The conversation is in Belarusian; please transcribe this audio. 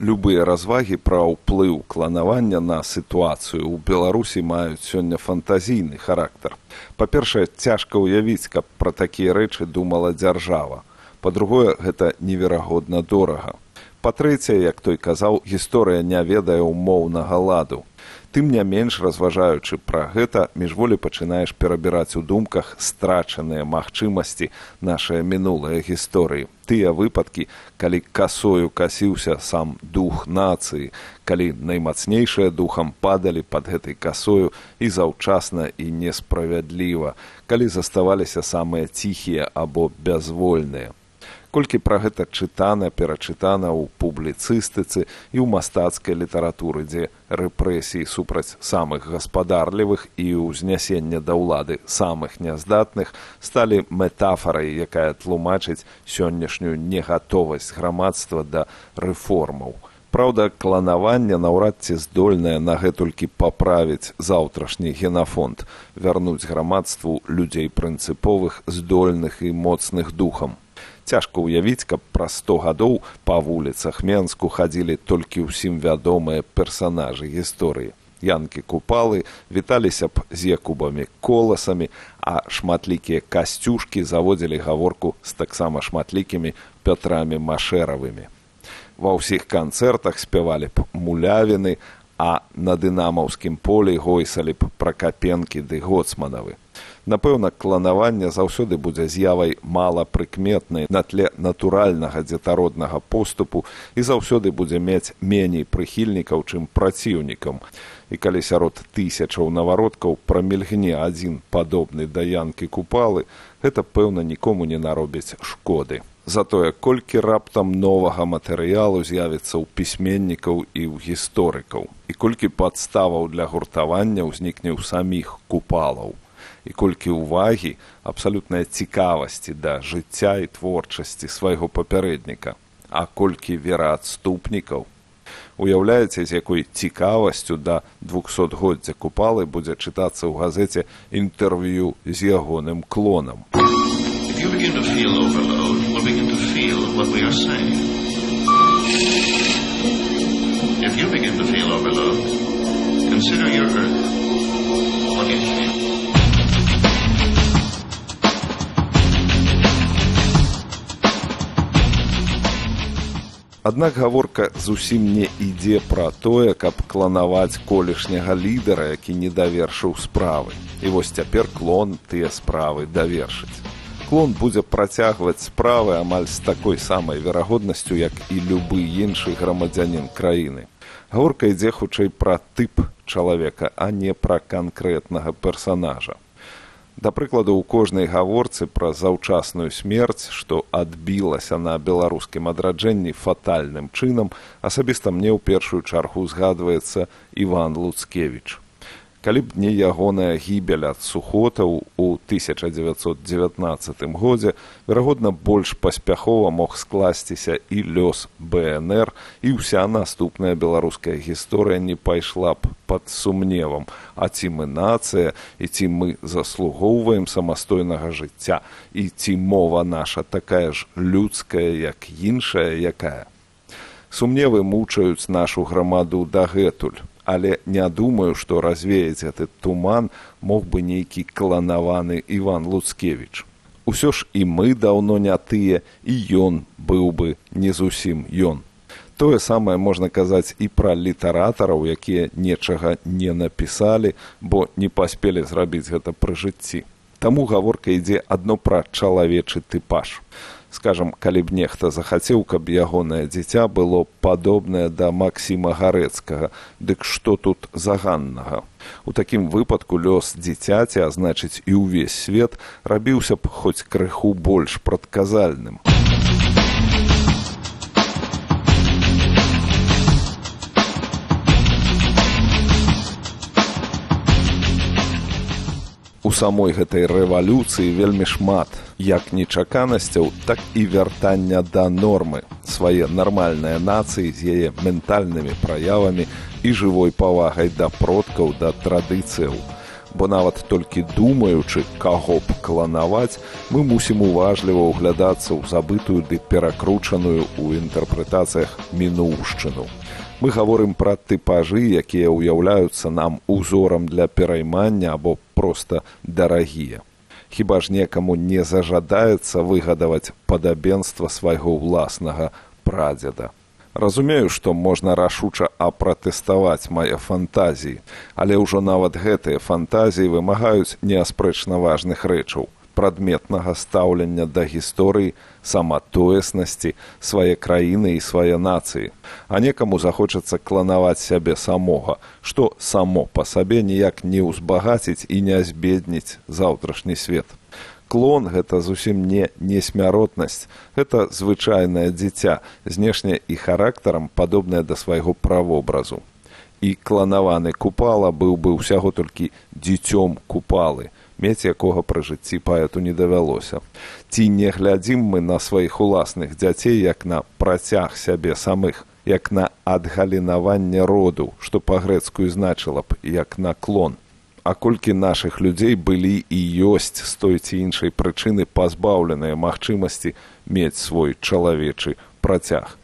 Любыя развагі пра ўплыў кланавання на сітуацыю ў Беларусі маюць сёння фантазійны характар. Па-першае, цяжка ўявіць, каб пра такія рэчы думала дзяржава. Па-другое, гэта неверагодна дорага. Па-трэцяе, як той казаў, гісторыя не ведае ўмоўнага ладу. Тым не менш, разважаючы пра гэта, міжволі пачынаеш перабіраць у думках страчаныя магчымасці нашай мінулай гісторыі. Тыя выпадкі, калі касою касіўся сам дух нацыі, калі наймацнейшыя духам падалі пад гэтай касою і заўчасна і несправядліва, калі заставаліся самыя ціхія або бязвольныя. Колькі пра гэта чытана, перачытана ў публіцыстыцы і ў мастацкай літаратуры, дзе рэпрэсіі супраць самых гаспадарлівых і ўзнясення да ўлады самых няздатных сталі метафарай, якая тлумачыць сённяшнюю негатовасць грамадства да рэформаў. Праўда, кланаванне наўрад ці здольнае на гэтулькі паправіць заўтрашні генафонд, вярнуць грамадству людзей прынцыповых, здольных і моцных духам. Цяжка ўявіць, каб праз 100 гадоў па вуліцах Менску хадзілі толькі ўсім вядомыя персанажы гісторыі. Янкі-купалы віталіся б з Якубамі Коласамі, а шматлікія касцюшкі заводзілі гаворку з таксама шматлікімі Пятрамі Машэравымі. Ва ўсіх канцэртах спявалі б мулявіны, а на дынамаўскім полі гойсалі б Пракапенкі ды Гоцманавы. Напэўна, кланаванне заўсёды будзе з'явай малапрыкметнай на тле натуральнага дзетароднага поступу і заўсёды будзе мець меней прыхільнікаў, чым праціўнікам. І калі сярод тысячаў навародкаў прамільгне адзін падобны да Янкі-купалы, гэта, пэўна, нікому не наробіць шкоды. Затое, колькі раптам новага матэрыялу з'явіцца ў пісьменнікаў і ў гісторыкаў, і колькі падставаў для гуртавання ўзнікне ў саміх купалаў, і колькі ўвагі, абсалютнай цікавасці да жыцця і творчасці свайго папярэдніка, а колькі вераадступнікаў. Уяўляеце, з якой цікавасцю да 200-годдзя купалы будзе чытацца ў газеце інтэрв'ю з ягоным клонам. If you begin to feel overload, we'll begin to feel what we are saying. If you begin to feel overload, consider your Earth. What do you feel? Аднак гаворка зусім не ідзе пра тое, каб кланаваць колішняга лідара, які не давершыў справы. І вось цяпер клон тыя справы давершыць. Клон будзе працягваць справы амаль з такой самай верагоднасцю, як і любы іншы грамадзянін краіны. Гаворка ідзе хутчэй пра тып чалавека, а не пра канкрэтнага персанажа. Да прыкладу, у кожнай гаворцы пра заўчасную смерць, што адбілася на беларускім адраджэнні фатальным чынам, асабіста мне ў першую чаргу згадваецца Іван Луцкевіч. Калі б не ягоная гібель ад сухотаў у 1919 годзе, верагодна, больш паспяхова мог скласціся і лёс БНР, і ўся наступная беларуская гісторыя не пайшла б пад сумневам, а ці мы нацыя, і ці мы заслугоўваем самастойнага жыцця, і ці мова наша такая ж людская, як іншая якая. Сумневы мучаюць нашу грамаду дагэтуль. Але не думаю, што развеяць гэты туман мог бы нейкі кланаваны Іван Луцкевіч. Усё ж і мы даўно не тыя, і ён быў бы не зусім ён. Тое самае можна казаць і пра літаратараў, якія нечага не напісалі, бо не паспелі зрабіць гэта пры жыцці. Таму гаворка ідзе адно пра чалавечы тыпаж. Скажам, калі б нехта захацеў, каб ягонае дзіця было падобнае да Максіма Гарэцкага, дык што тут заганнага? У такім выпадку лёс дзіцяці, а значыць і ўвесь свет, рабіўся б хоць крыху больш прадказальным. У самой гэтай рэвалюцыі вельмі шмат як нечаканасцяў, так і вяртання да нормы, свае нармальныя нацыі з яе ментальнымі праявамі і жывой павагай да продкаў, да традыцыяў. Бо нават толькі думаючы, каго б кланаваць, мы мусім уважліва ўглядацца ў забытую ды перакручаную ў інтэрпрэтацыях мінуўшчыну. Мы гаворым пра тыпажы, якія ўяўляюцца нам узорам для пераймання або проста дарагія. Хіба ж некаму не зажадаецца выгадаваць падабенства свайго ўласнага прадзеда. Разумею, што можна рашуча апратэставаць мае фантазіі, але ўжо нават гэтыя фантазіі вымагаюць неаспрэчна важных рэчаў, прадметнага стаўлення да гісторыі, саматоеснасці, свае краіны і свае нацыі. А некаму захочацца кланаваць сябе самога, што само па сабе ніяк не ўзбагаціць і не збедніць заўтрашні свет. Клон – гэта зусім не несмяротнасць, гэта звычайнае дзіця, знешне і характарам падобнае да свайго правобразу. І кланаваны Купала быў бы ўсяго толькі дзіцём Купалы, мець якога пры жыцці паэту не давялося. Ці не глядзім мы на сваіх уласных дзяцей як на працяг сябе самых, як на адгалінаванне роду, што па-грэцку значыла б як на клон. А колькі нашых людзей былі і ёсць з той ці іншай прычыны пазбаўленыя магчымасці мець свой чалавечы працяг.